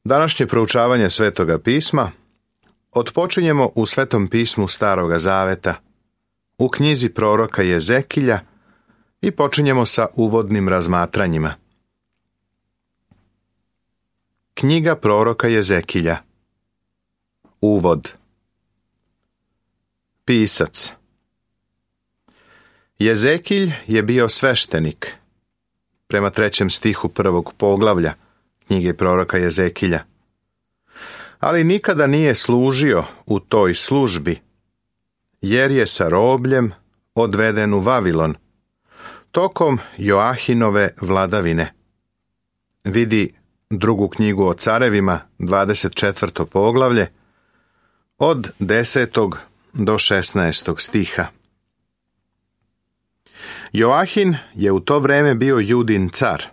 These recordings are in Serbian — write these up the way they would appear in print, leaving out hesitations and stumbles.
Današnje proučavanje Svetoga pisma otpočinjemo u Svetom pismu Staroga Zaveta, u knjizi proroka Jezekilja i počinjemo sa uvodnim razmatranjima. Knjiga proroka Jezekilja. Uvod. Pisac. Jezekilj je bio sveštenik, prema 3. stihu 1. poglavlja knjige proroka Jezekilja. Ali nikada nije služio u toj službi, jer je sa robljem odveden u Vavilon, tokom Joahinove vladavine. Vidi drugu knjigu o carevima, 24. poglavlje, od 10. do 16. stiha. Joahin je u to vreme bio Judin car,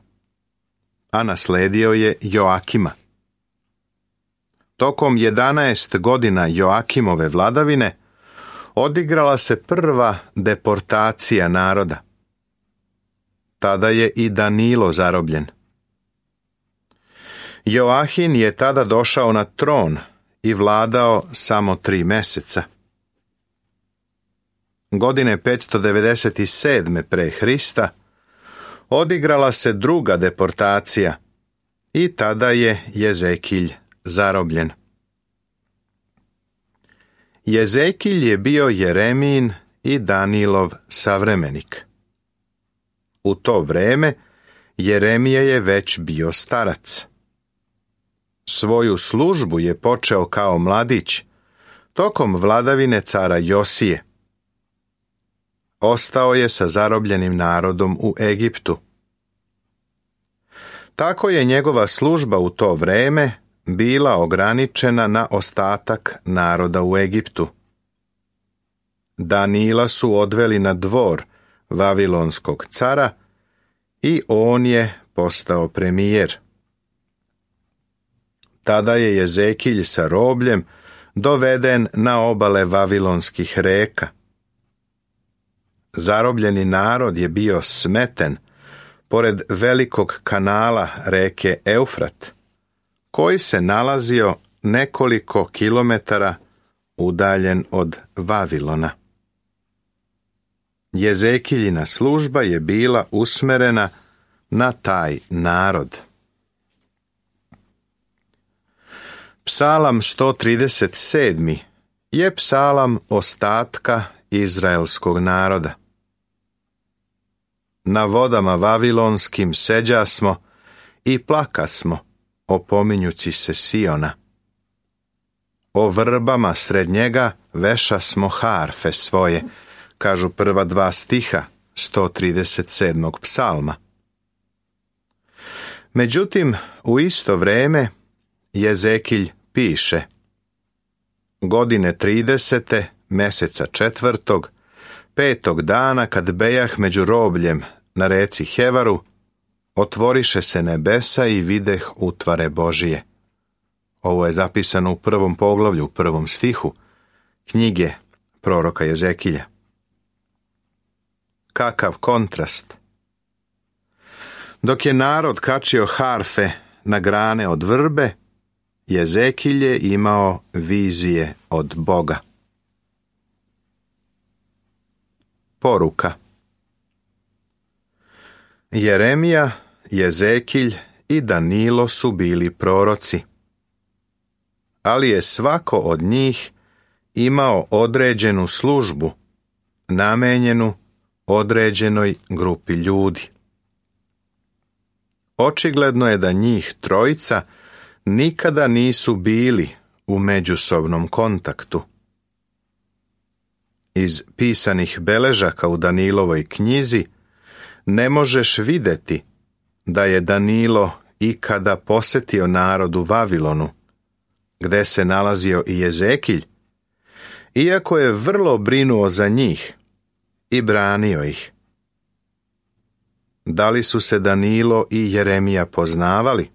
a nasledio je Joakima. Tokom 11 godina Joakimove vladavine odigrala se prva deportacija naroda. Tada je i Danilo zarobljen. Joahin je tada došao na tron i vladao samo 3 meseca. Godine 597. pre Hrista odigrala se druga deportacija i tada je Jezekilj zarobljen. Jezekilj je bio Jeremijin i Danilov savremenik. U to vreme Jeremija je već bio starac. Svoju službu je počeo kao mladić tokom vladavine cara Josije. Ostao je sa zarobljenim narodom u Egiptu. Tako je njegova služba u to vreme bila ograničena na ostatak naroda u Egiptu. Danila su odveli na dvor vavilonskog cara i on je postao premijer. Tada je Jezekilj sa robljem doveden na obale vavilonskih reka. Zarobljeni narod je bio smeten pored velikog kanala reke Eufrat, koji se nalazio nekoliko kilometara udaljen od Vavilona. Jezekiljina služba je bila usmerena na taj narod. Psalam 137. je psalam ostatka izraelskog naroda. Na vodama vavilonskim seđasmo i plakasmo, opominjući se Siona. O vrbama sred njega vešasmo harfe svoje, kažu prva 2 stiha 137. psalma. Međutim, u isto vreme Jezekilj piše: godine 30. meseca 4. 5. dana kad bejah među robljem na reci Hevaru, otvoriše se nebesa i videh utvare Božije. Ovo je zapisano u 1. poglavlju, 1. stihu knjige proroka Jezekilja. Kakav kontrast! Dok je narod kačio harfe na grane od vrbe, Jezekilj je imao vizije od Boga. Poruka. Jeremija, Jezekilj i Danilo su bili proroci, ali je svako od njih imao određenu službu, namenjenu određenoj grupi ljudi. Očigledno je da njih trojica nikada nisu bili u međusobnom kontaktu. Iz pisanih beležaka u Danilovoj knjizi ne možeš vidjeti da je Danilo ikada posjetio narod u Vavilonu, gde se nalazio i Jezekilj, iako je vrlo brinuo za njih i branio ih. Da li su se Danilo i Jeremija poznavali?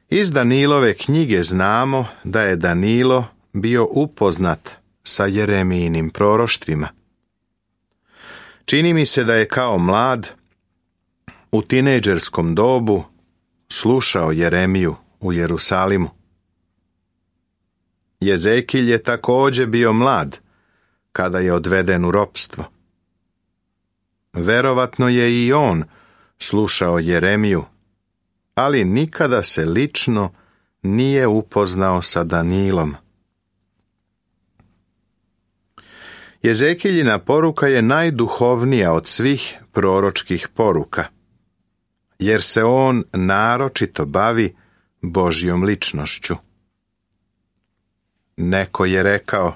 Iz Danilove knjige znamo da je Danilo bio upoznat sa Jeremijinim proroštvima. Čini mi se da je kao mlad, u tinejdžerskom dobu, slušao Jeremiju u Jerusalimu. Jezekilj je također bio mlad kada je odveden u ropstvo. Verovatno je i on slušao Jeremiju, ali nikada se lično nije upoznao sa Danilom. Jezekiljina poruka je najduhovnija od svih proročkih poruka, jer se on naročito bavi Božjom ličnošću. Neko je rekao: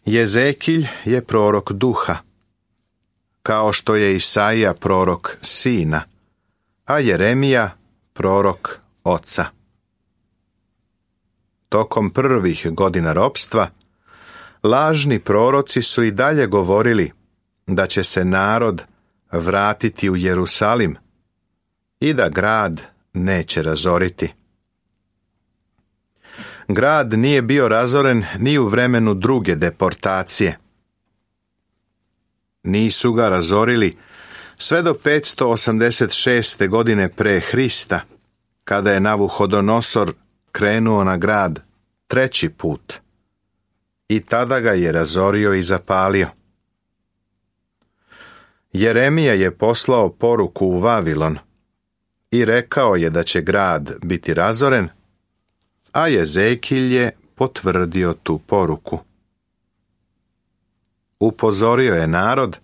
Jezekilj je prorok duha, kao što je Isaija prorok sina, a Jeremija prorok oca. Tokom prvih godina ropstva, lažni proroci su i dalje govorili da će se narod vratiti u Jerusalim i da grad neće razoriti. Grad nije bio razoren ni u vremenu druge deportacije. Nisu ga razorili sve do 586. godine pre Hrista, kada je Navuhodonosor krenuo na grad 3. put i tada ga je razorio i zapalio. Jeremija je poslao poruku u Vavilon i rekao je da će grad biti razoren, a Jezekilj je potvrdio tu poruku. Upozorio je narod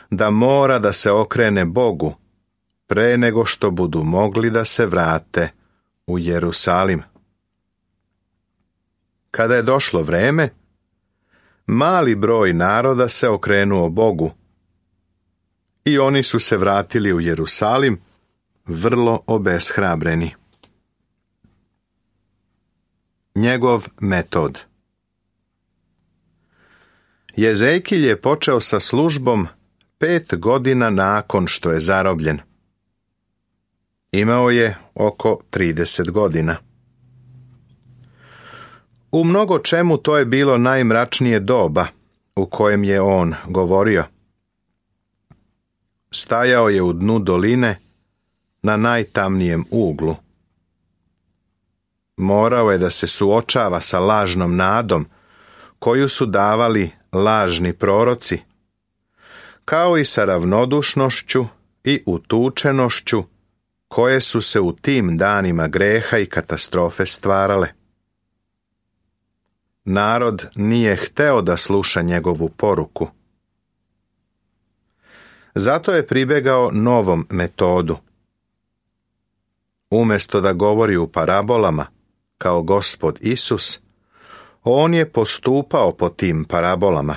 da mora da se okrene Bogu pre nego što budu mogli da se vrate u Jerusalim. Kada je došlo vreme, mali broj naroda se okrenuo Bogu i oni su se vratili u Jerusalim vrlo obeshrabreni. Njegov metod. Jezekilj je počeo sa službom 5 godina nakon što je zarobljen. Imao je oko 30 godina. U mnogo čemu to je bilo najmračnije doba u kojem je on govorio. Stajao je u dnu doline na najtamnijem uglu. Morao je da se suočava sa lažnom nadom koju su davali lažni proroci, kao i sa ravnodušnošću i utučenošću koje su se u tim danima greha i katastrofe stvarale. Narod nije hteo da sluša njegovu poruku. Zato je pribegao novom metodu. Umjesto da govori u parabolama, kao Gospod Isus, on je postupao po tim parabolama.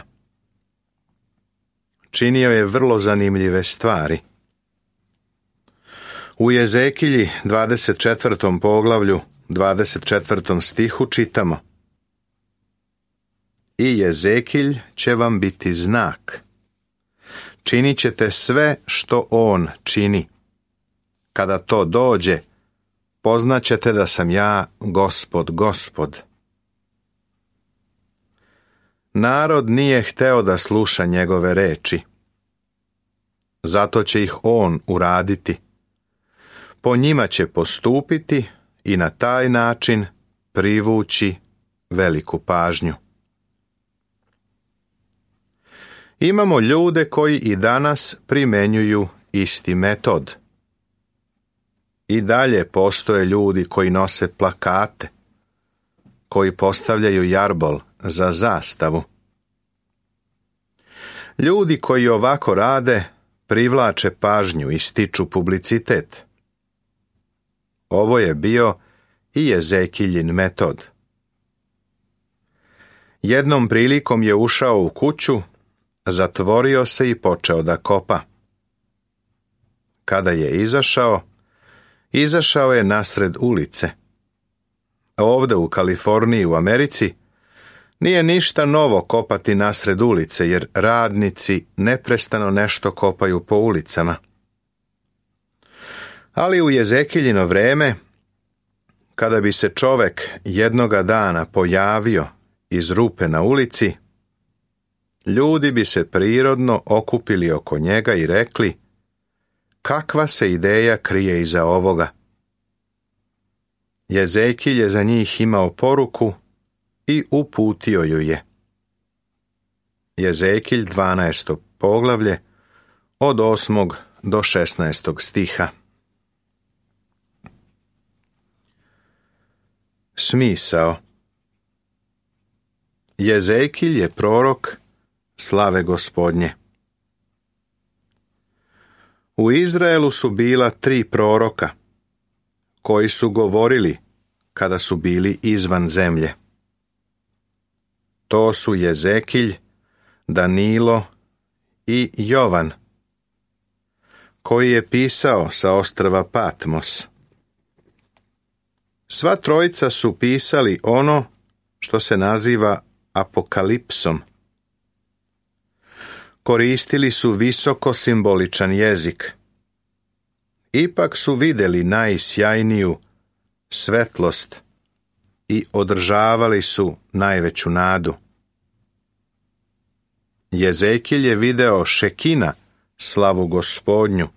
Činio je vrlo zanimljive stvari. U Jezekilji 24. poglavlju 24. stihu čitamo: I Jezekilj će vam biti znak. Činit ćete sve što on čini. Kada to dođe, poznaćete da sam ja Gospod, Gospod. Narod nije hteo da sluša njegove reči. Zato će ih on uraditi. Po njima će postupiti i na taj način privući veliku pažnju. Imamo ljude koji i danas primenjuju isti metod. I dalje postoje ljudi koji nose plakate, koji postavljaju jarbol za zastavu. Ljudi koji ovako rade privlače pažnju i stiču publicitet. Ovo je bio i Jezekiljin metod. Jednom prilikom je ušao u kuću, zatvorio se i počeo da kopa. Kada je izašao je nasred ulice. Ovde u Kaliforniji u Americi nije ništa novo kopati nasred ulice, jer radnici neprestano nešto kopaju po ulicama. Ali u Jezekiljino vreme, kada bi se čovek jednoga dana pojavio iz rupe na ulici, ljudi bi se prirodno okupili oko njega i rekli: kakva se ideja krije iza ovoga? Jezekilj je za njih imao poruku i uputio ju je. Jezekilj 12. poglavlje od 8. do 16. stiha. Smisao. Jezekilj je prorok slave Gospodnje. U Izraelu su bila 3 proroka, koji su govorili kada su bili izvan zemlje. To su Jezekilj, Danilo i Jovan, koji je pisao sa ostrva Patmos. Sva trojica su pisali ono što se naziva apokalipsom. Koristili su visoko simboličan jezik. Ipak su vidjeli najsjajniju svetlost i održavali su najveću nadu. Jezekilj je video Šekina, slavu Gospodnju,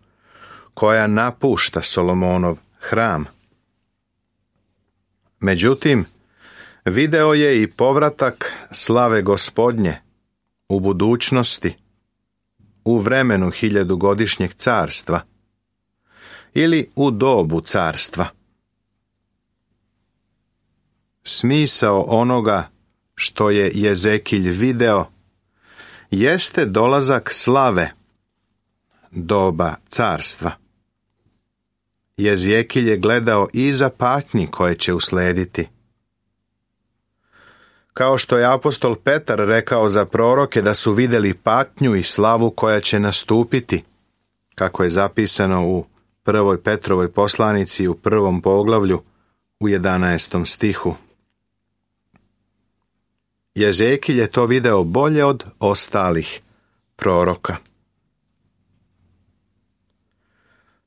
koja napušta Solomonov hram. Međutim, video je i povratak slave Gospodnje u budućnosti, u vremenu 1000-godišnjeg carstva ili u dobu carstva. Smisao onoga što je Jezekilj video jeste dolazak slave, doba carstva. Jezekilj je gledao iza patnji koje će uslediti. Kao što je apostol Petar rekao za proroke da su vidjeli patnju i slavu koja će nastupiti, kako je zapisano u 1. Petrovoj poslanici u 1. poglavlju u 11. stihu. Jezekilj je to video bolje od ostalih proroka.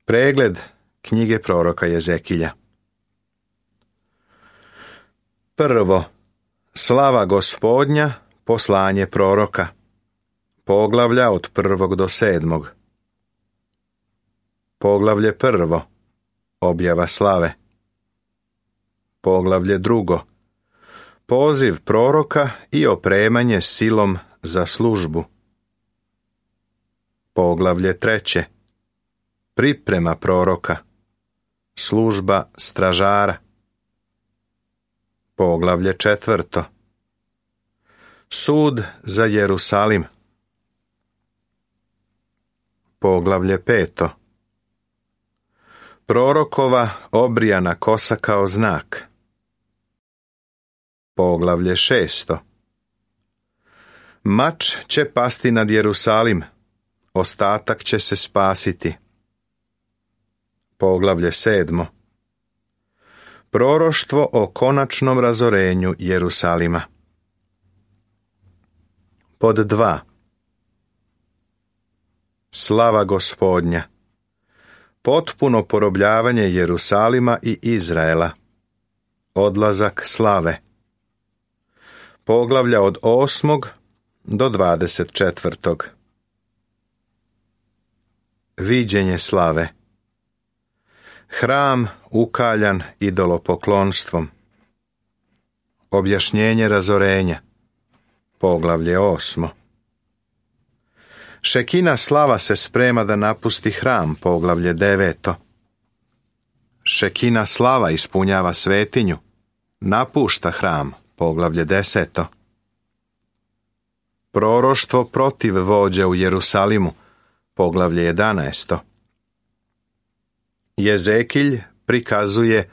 Pregled knjige proroka Jezekilja. Prvo, slava Gospodnja, poslanje proroka. Poglavlja od 1. do 7. Poglavlje 1. Objava slave. Poglavlje 2. Poziv proroka i opremanje silom za službu. Poglavlje 3. Priprema proroka. Služba stražara. Poglavlje 4. Sud za Jerusalim. Poglavlje 5. Prorokova obrijana kosa kao znak. Poglavlje 6. Mač će pasti nad Jerusalim, ostatak će se spasiti. Poglavlje 7. Proroštvo o konačnom razorenju Jerusalima. Pod 2. Slava Gospodnja. Potpuno porobljavanje Jerusalima i Izraela. Odlazak slave. Poglavlja od 8. do 24. Viđenje slave. Hram ukaljan idolopoklonstvom. Objašnjenje razorenja. Poglavlje 8. Šekina slava se sprema da napusti hram. Poglavlje 9. Šekina slava ispunjava svetinju. Napušta hram. Poglavlje 10. Proroštvo protiv vođe u Jerusalimu. Poglavlje 11. Jezekilj prikazuje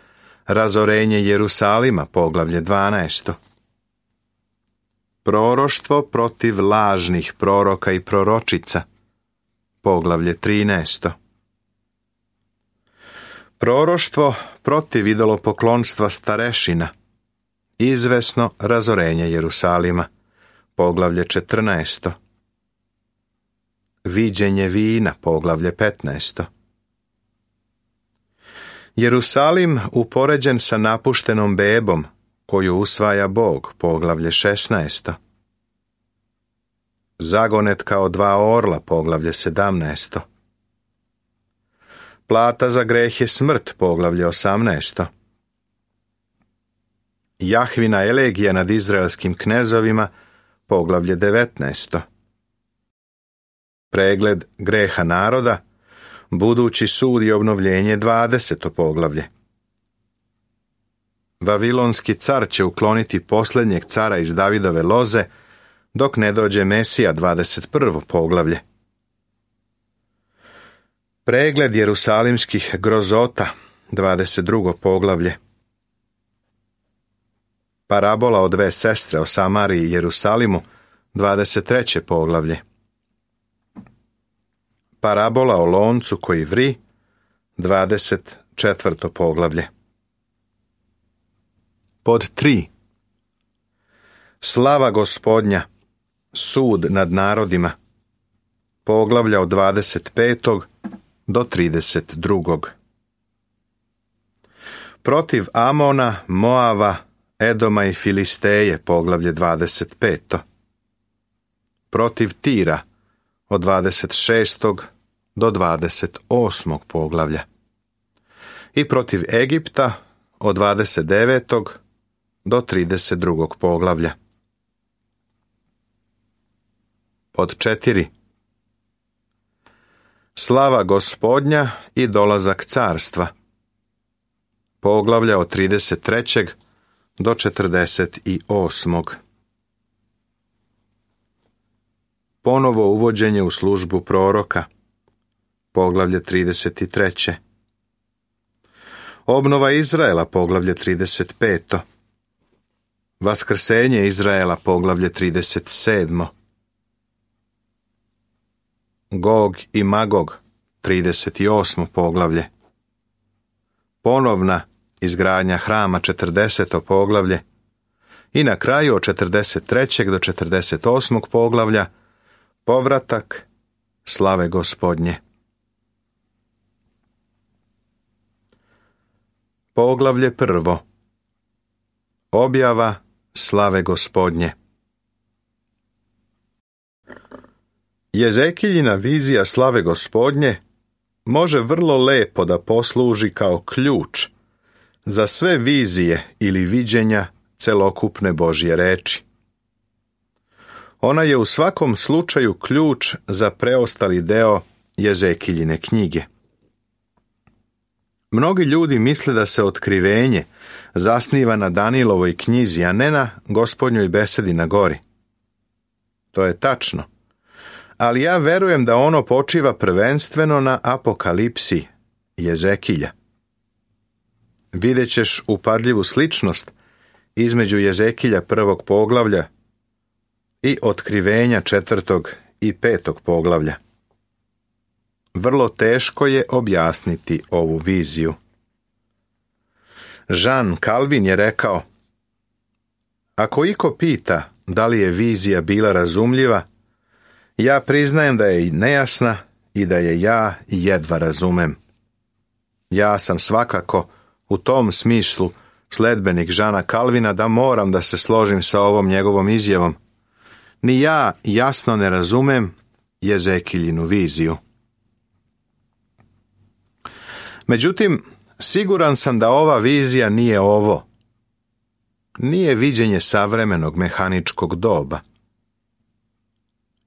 razorenje Jerusalima. Poglavlje 12. Proroštvo protiv lažnih proroka i proročica. Poglavlje 13. Proroštvo protiv idolopoklonstva starešina. Izvesno razorenje Jerusalima. Poglavlje 14. Viđenje vina. Poglavlje 15. Jerusalim upoređen sa napuštenom bebom koju usvaja Bog. Poglavlje 16. Zagonet kao 2 orla. Poglavlje 17. Plata za greh je smrt. Poglavlje 18. Jahvina elegija nad izraelskim knezovima, poglavlje 19. Pregled greha naroda, budući sud i obnovljenje 20. poglavlje. Vavilonski car će ukloniti posljednjeg cara iz Davidove loze, dok ne dođe Mesija 21. poglavlje. Pregled jerusalimskih grozota 22. poglavlje. Parabola o dve sestre o Samariji i Jerusalimu 23. poglavlje. Parabola o loncu koji vri 24. poglavlje. Pod 3. Slava Gospodnja, sud nad narodima, poglavlja od 25. do 32. Protiv Amona, Moava, Edoma i Filisteje, poglavlje 25. Protiv Tira, od 26. do 28. poglavlja. I protiv Egipta, od 29. do 32. poglavlja. Pod 4. Slava Gospodnja i dolazak carstva, poglavlja od 33. do 48. Ponovo uvođenje u službu proroka, poglavlje 33. Obnova Izraela, poglavlje 35. Vaskrsenje Izraela, poglavlje 37. Gog i Magog, 38. poglavlje. Ponovna izgradnja hrama, 40. poglavlje. I na kraju od 43. do 48. poglavlja povratak slave Gospodnje. Poglavlje 1. Objava slave Gospodnje. Jezekiljina vizija slave Gospodnje može vrlo lepo da posluži kao ključ za sve vizije ili viđenja celokupne Božje reči. Ona je u svakom slučaju ključ za preostali deo Jezekiljine knjige. Mnogi ljudi misle da se otkrivenje zasniva na Danijelovoj knjizi, a ne na Gospodnjoj besedi na gori. To je tačno, ali ja verujem da ono počiva prvenstveno na apokalipsi Jezekilja. Vidjet ćeš upadljivu sličnost između Jezekilja 1. poglavlja i otkrivenja 4. i 5. poglavlja. Vrlo teško je objasniti ovu viziju. Jean Calvin je rekao: ako iko pita da li je vizija bila razumljiva, ja priznajem da je nejasna i da je ja jedva razumem. Ja sam svakako u tom smislu sledbenik Jeana Calvina da moram da se složim sa ovom njegovom izjavom. Ni ja jasno ne razumem Jezekiljinu viziju. Međutim, siguran sam da ova vizija nije ovo. Nije viđenje savremenog mehaničkog doba.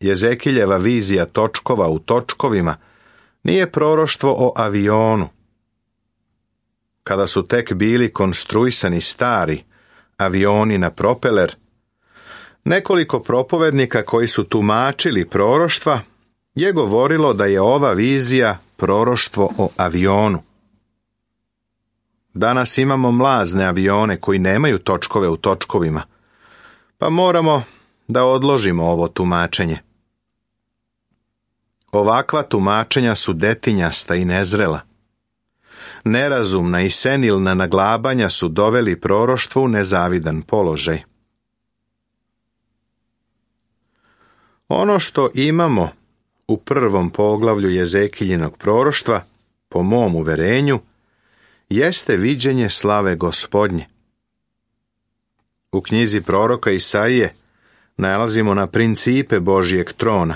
Jezekiljeva vizija točkova u točkovima nije proroštvo o avionu. Kada su tek bili konstruisani stari avioni na propeler, nekoliko propovednika koji su tumačili proroštva je govorilo da je ova vizija proroštvo o avionu. Danas imamo mlazne avione koji nemaju točkove u točkovima, pa moramo da odložimo ovo tumačenje. Ovakva tumačenja su detinjasta i nezrela. Nerazumna i senilna naglabanja su doveli proroštvo u nezavidan položaj. Ono što imamo u 1. poglavlju Jezekiljinog proroštva, po mom uverenju, jeste viđenje slave Gospodnje. U knjizi proroka Isaije nalazimo na principe Božjeg trona.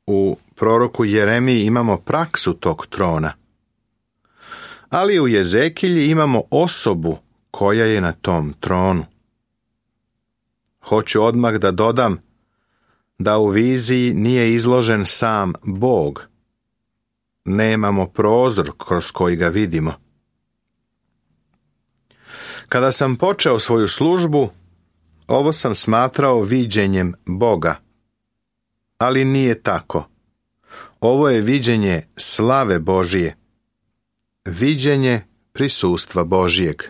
U proroku Jeremiji imamo praksu tog trona. Ali u Jezekilji imamo osobu koja je na tom tronu. Hoću odmah da dodam da u viziji nije izložen sam Bog. Nemamo prozor kroz koji ga vidimo. Kada sam počeo svoju službu, ovo sam smatrao viđenjem Boga. Ali nije tako. Ovo je viđenje slave Božije. Viđenje prisustva Božijeg.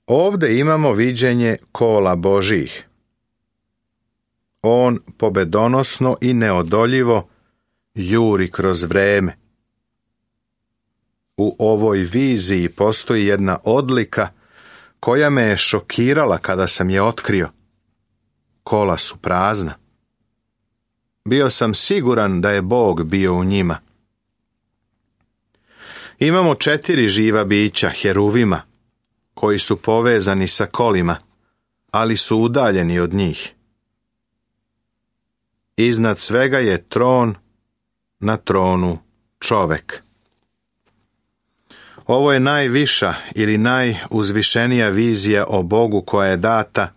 Ovde imamo viđenje kola Božijih. On pobedonosno i neodoljivo juri kroz vreme. U ovoj viziji postoji jedna odlika koja me je šokirala kada sam je otkrio. Kola su prazna. Bio sam siguran da je Bog bio u njima. Imamo 4 živa bića, heruvima, koji su povezani sa kolima, ali su udaljeni od njih. Iznad svega je tron, na tronu čovek. Ovo je najviša ili najuzvišenija vizija o Bogu koja je data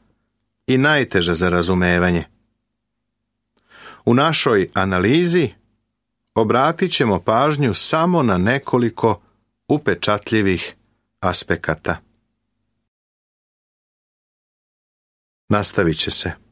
i najteža za razumevanje. U našoj analizi obratit ćemo pažnju samo na nekoliko upečatljivih aspekata. Nastavit će se.